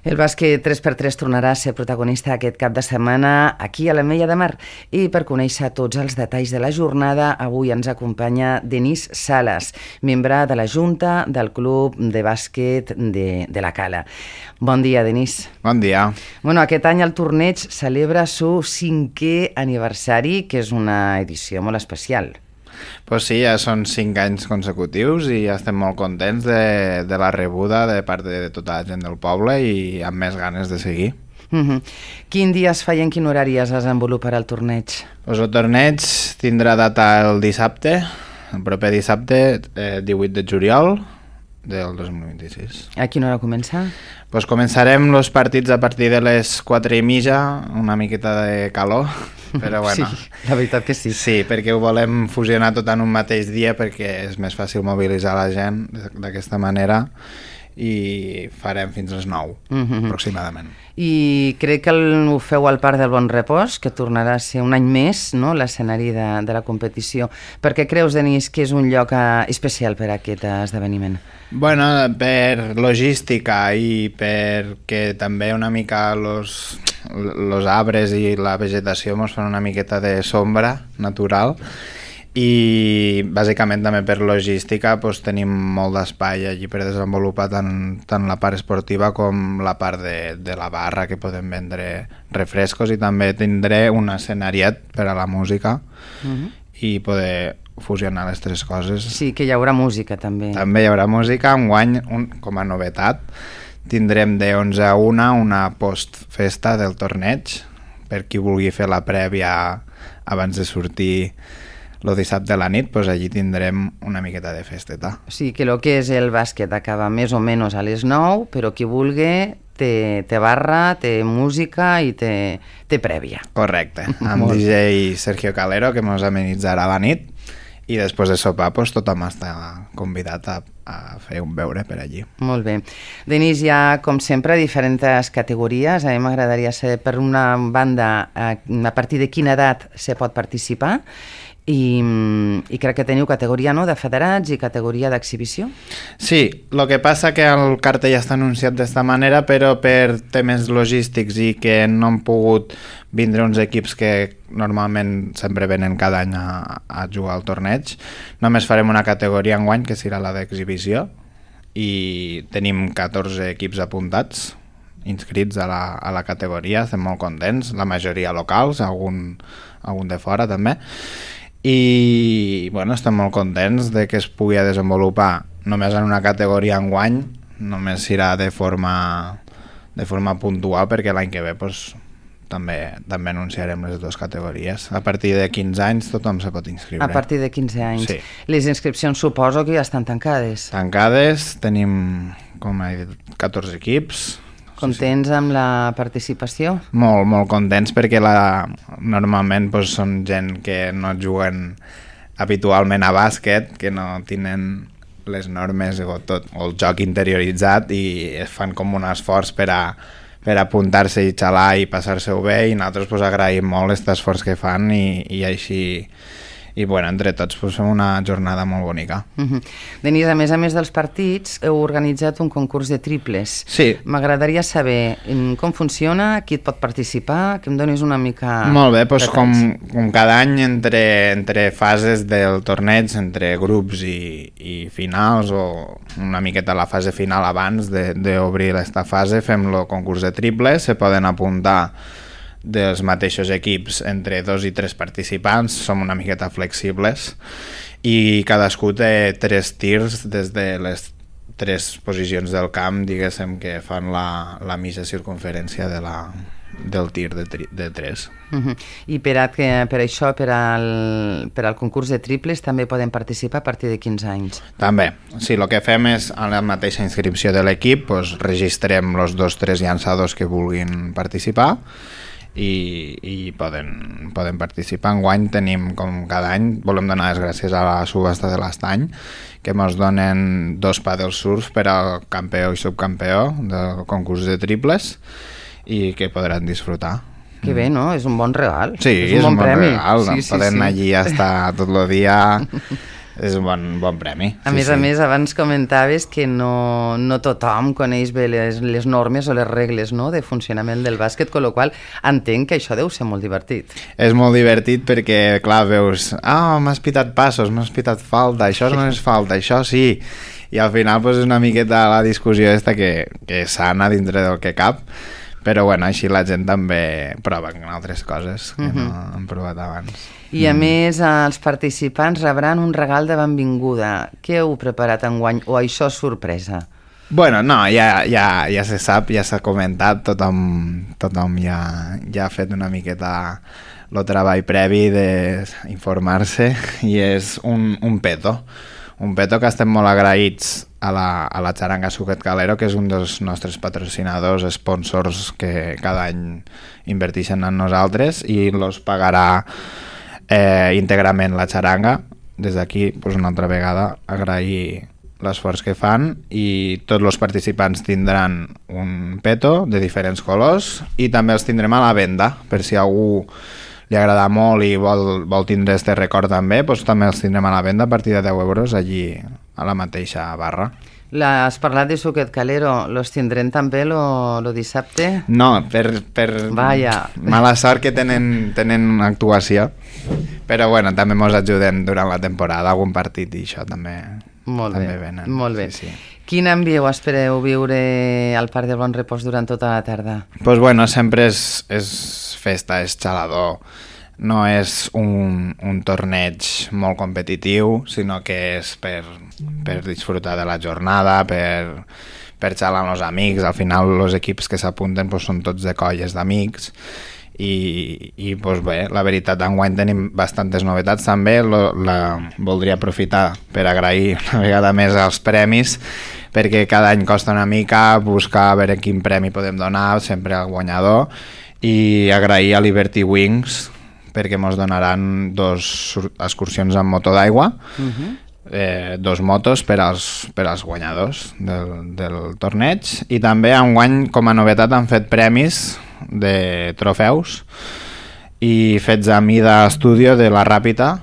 El bàsquet 3x3 tornarà a ser protagonista aquest cap de setmana aquí a l'Ametlla de Mar. I per conèixer tots els detalls de la jornada, avui ens acompanya Denis Salas, membre de la Junta del Club de Bàsquet de la Cala. Bon dia, Denis. Bon dia. Bueno, aquest any el torneig celebra su 5è aniversari, que és una edició molt especial. Pues sí, ja són 5 anys consecutius i ja estem molt contents de la rebuda de part de tota la gent del poble i amb més ganes de seguir. Quin dia es fa i en quin horari es desenvoluparà el torneig? Pues el torneig tindrà data el dissabte, el proper dissabte, 18 de juliol del 2026. A quina hora comença? Pues començarem els partits a partir de les 4:30, una miqueta de calor, però bueno. Sí, la veritat que sí. Sí, perquè ho volem fusionar tot en un mateix dia perquè és més fàcil mobilitzar la gent d'aquesta manera i farem fins les 9 aproximadament. I crec que ho feu al Parc del Bon Repòs, que tornarà a ser un any més, no?, l'escenari de la competició. Per què creus, Denis, que és un lloc especial per a aquest esdeveniment? Bueno, per logística i perquè també una mica los arbres i la vegetació ens fan una miqueta de sombra natural i bàsicament també per logística doncs, tenim molt d'espai allí per desenvolupar tant la part esportiva com la part de la barra, que podem vendre refrescos, i també tindré un escenariet per a la música i poder fusionar les tres coses. Sí, que hi haurà música també. També hi haurà música. Enguany, com a novetat, tindrem de 11 a 1 una postfesta del torneig per qui vulgui fer la prèvia abans de sortir el dissabte a la nit, doncs allí tindrem una miqueta de festeta. O sigui que el que és el bàsquet acaba més o menys a les 9, però qui vulgui té barra, té música i té prèvia. Correcte, amb DJ Sergio Calero, que ens amenitzarà la nit, i després de sopar doncs, tothom està convidat a fer un beure per allí. Molt bé. Denis, hi ha, com sempre, diferents categories. A mi m'agradaria saber, per una banda, a partir de quina edat se pot participar, i crec que teniu categoria, no?, de federats i categoria d'exhibició. Sí, el que passa que el cartell està anunciat d'esta manera, però per temes logístics i que no han pogut vindre uns equips que normalment sempre venen cada any a jugar al torneig, només farem una categoria enguany, que serà la d'exhibició, i tenim 14 equips apuntats, inscrits a la categoria. Estem molt contents, la majoria locals, algun de fora també, i bueno, estem molt contents de que es pugui desenvolupar només en una categoria enguany. Només serà de forma puntual, perquè l'any que ve doncs, també anunciarem les dues categories. A partir de 15 anys tothom se pot inscriure. A partir de 15 anys. Sí. Les inscripcions suposo que ja estan tancades. Tancades, tenim, com he dit, 14 equips. Contents amb la participació? Molt, molt contents, perquè normalment doncs, són gent que no juguen habitualment a bàsquet, que no tenen les normes o el joc interioritzat, i fan com un esforç per apuntar-se i xalar i passar-se-ho bé, i nosaltres doncs, agraïm molt aquest esforç que fan, i així, i bueno, entre tots doncs, fem una jornada molt bonica. Denis, a més dels partits, heu organitzat un concurs de triples. Sí. M'agradaria saber com funciona, qui et pot participar, que em donis una mica... Molt bé, doncs com cada any entre fases del torneig, entre grups i finals, o una miqueta la fase final abans d'obrir aquesta fase, fem el concurs de triples. Se poden apuntar dels mateixos equips entre 2 i 3 participants, som una miqueta flexibles, i cadascú té 3 tirs des de les 3 posicions del camp, diguéssim, que fan la mitja circunferència del tir de 3. I per això, per al concurs de triples, també poden participar a partir de 15 anys? També. Sí, el que fem és, a la mateixa inscripció de l'equip, doncs, registrem els 2-3 llançadors que vulguin participar, i poden participar. Enguany tenim, com cada any, volem donar les gràcies a la subhasta de l'Estany, que ens donen 2 pàdels surf per al campió i subcampió del concurs de triples, i que podran disfrutar. Que bé, no? És un bon regal. Sí, és un bon premi. regal. Podem anar allí estar tot el dia és un bon premi. A més, abans comentaves que no tothom coneix bé les normes o les regles, no?, de funcionament del bàsquet, amb la qual entenc que això deu ser molt divertit. És molt divertit perquè, clar, veus, m'has pitat passos, m'has pitat falta, això no és falta, això sí, i al final és una miqueta la discussió que és sana dintre del que cap, però bueno, així la gent també prova en altres coses que no han provat abans. I a més, els participants rebran un regal de benvinguda. Què heu preparat enguany o això és sorpresa? Bueno, no, ja se sap, ja s'ha comentat, tothom ja ha fet una miqueta el treball previ d'informar-se i és un peto que estem molt agraïts a la Xaranga Suquet Calero, que és un dels nostres patrocinadors, sponsors que cada any inverteixen en nosaltres i els pagarà íntegrament la xaranga. Des d'aquí, una altra vegada, agrair l'esforç que fan i tots els participants tindran un peto de diferents colors i també els tindrem a la venda, per si algú li agrada molt i vol tindre este record també, també els tindrem a la venda a partir de 10 euros allí a la mateixa barra. Has parlat de Suquet Calero, los tindrem també lo dissabte? No, per mala sort que tenen actuació, però bueno, també mos ajuden durant la temporada, algun partit i això també venen. Molt bé. Sí. Quin ambient espereu viure al Parc del Bon Repòs durant tota la tarda? Doncs bueno, sempre és festa, és xalador. No és un torneig molt competitiu, sinó que és per disfrutar de la jornada, per xalar amb els amics. Al final els equips que s'apunten són tots de colles d'amics i bé, la veritat, enguany tenim bastantes novetats també. Voldria aprofitar per agrair una vegada més els premis, perquè cada any costa una mica buscar a veure quin premi podem donar sempre al guanyador, i agrair a Liberty Wings perquè ens donaran 2 excursions amb moto d'aigua, 2 motos per als guanyadors del torneig, i també enguany com a novetat han fet premis de trofeus i fets a mida estudio de la Ràpita,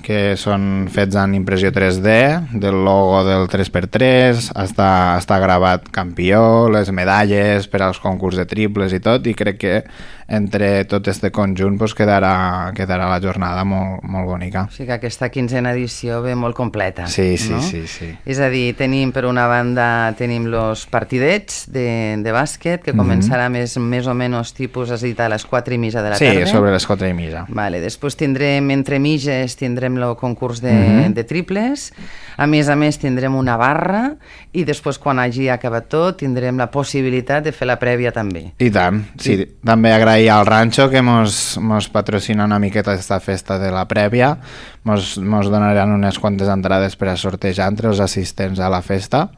que són fets en impressió 3D, del logo del 3x3, està gravat campió, les medalles per als concurs de triples i tot, i crec que entre tot este conjunt quedarà la jornada molt, molt bonica. O sigui que aquesta 15a edició ve molt completa. Sí. És a dir, per una banda tenim els partidets de bàsquet, que començarà més o menys tipus, has dit, a les 4:30 de la tarda. Sí, sobre les 4:30. Vale, després tindrem, entre mitges, tindrem el concurs de triples. A més, tindrem una barra i després, quan hagi acabat tot, tindrem la possibilitat de fer la prèvia també. I tant, sí. També agrair al Rancho que mos patrocina una miqueta aquesta festa de la prèvia. Mos donaran unes quantes entrades per a sortejar entre els assistents a la festa,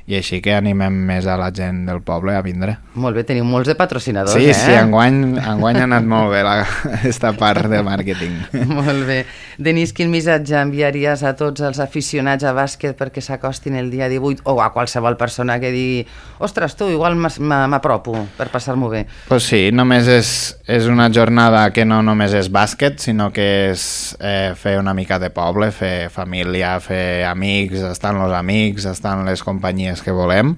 i així que animem més a la gent del poble a vindre. Molt bé, teniu molts de patrocinadors, Sí, enguany ha anat molt bé aquesta part de màrqueting. Molt bé. Denis, quin missatge enviaries a tots els aficionats a bàsquet perquè s'acostin el dia 18, o a qualsevol persona que digui, ostres, tu, igual m'apropo per passar-m'ho bé? Pues sí, només és una jornada que no només és bàsquet, sinó que és fer una mica de poble, fer família, fer amics, estan els amics, estan les companyies que volem,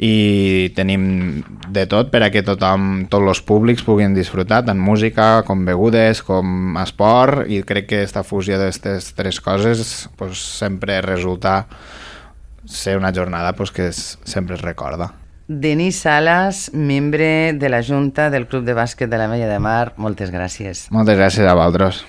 i tenim de tot per a que tots els públics puguin disfrutar, tant música com begudes, com esport, i crec que aquesta fusió d'aquestes 3 coses sempre resulta ser una jornada que sempre es recorda. Denis Salas, membre de la Junta del Club de Bàsquet de l'Ametlla de Mar, moltes gràcies. Moltes gràcies a vosaltres.